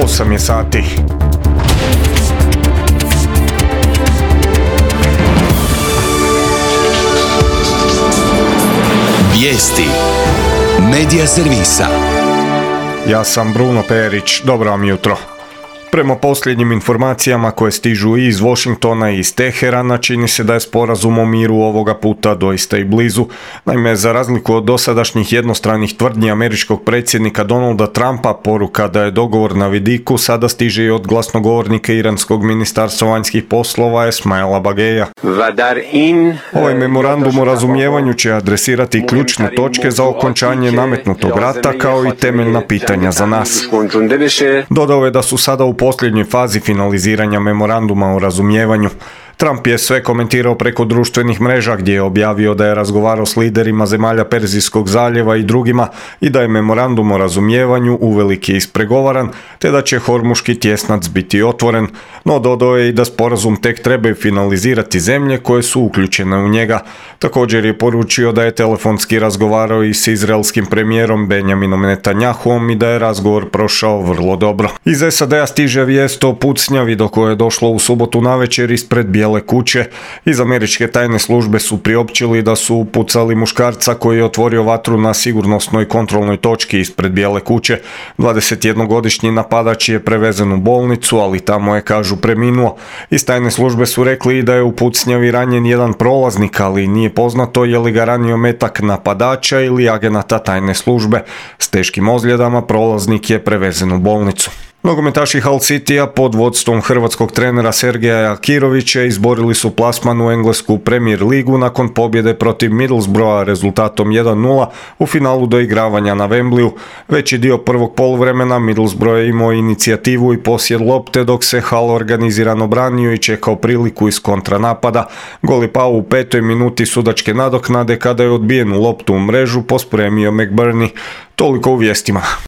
8 je sati. Vijesti Medija servisa. Ja sam Bruno Perić, dobro vam jutro. Prema posljednjim informacijama koje stižu i iz Washingtona i iz Teherana, čini se da je sporazum o miru ovoga puta doista i blizu. Naime, za razliku od dosadašnjih jednostranih tvrdnji američkog predsjednika Donalda Trumpa, poruka da je dogovor na vidiku sada stiže i od glasnogovornika iranskog ministarstva vanjskih poslova Esmaila Bageja. Ovaj memorandum o razumijevanju će adresirati ključne točke za okončanje nametnutog rata kao i temeljna pitanja za nas. Dodao je da su sada u posljednjoj fazi finaliziranja memoranduma o razumijevanju. Trump je sve komentirao preko društvenih mreža gdje je objavio da je razgovarao s liderima zemalja Perzijskog zaljeva i drugima i da je memorandum o razumijevanju uvelike ispregovaran te da će Hormuški tjesnac biti otvoren, no dodao je i da sporazum tek trebaju finalizirati zemlje koje su uključene u njega. Također je poručio da je telefonski razgovarao i s izraelskim premijerom Benjaminom Netanjahuom i da je razgovor prošao vrlo dobro. Iz SAD-a stiže vijest o pucnjavi do koje je došlo u subotu navečer ispred Bijele kuće. Iz američke tajne službe su priopćili da su upucali muškarca koji je otvorio vatru na sigurnosnoj kontrolnoj točki ispred Bijele kuće. 21-godišnji napadač je prevezen u bolnicu, ali tamo je, kažu, preminuo. Iz tajne službe su rekli i da je u pucnjavi ranjen jedan prolaznik, ali nije poznato je li ga ranio metak napadača ili agenata tajne službe. S teškim ozljedama prolaznik je prevezen u bolnicu. Nogometaši Hull Citya pod vodstvom hrvatskog trenera Sergeja Kirovića izborili su plasman u englesku Premier ligu nakon pobjede protiv Middlesbrougha rezultatom 1-0 u finalu doigravanja na Wembleyu. Veći dio prvog poluvremena Middlesbrough je imao inicijativu i posjed lopte dok se Hull organizirano branio i čekao priliku iz kontranapada. Gol je pao u 5. minuti sudačke nadoknade kada je odbijenu loptu u mrežu pospremio McBurney. Toliko u vijestima.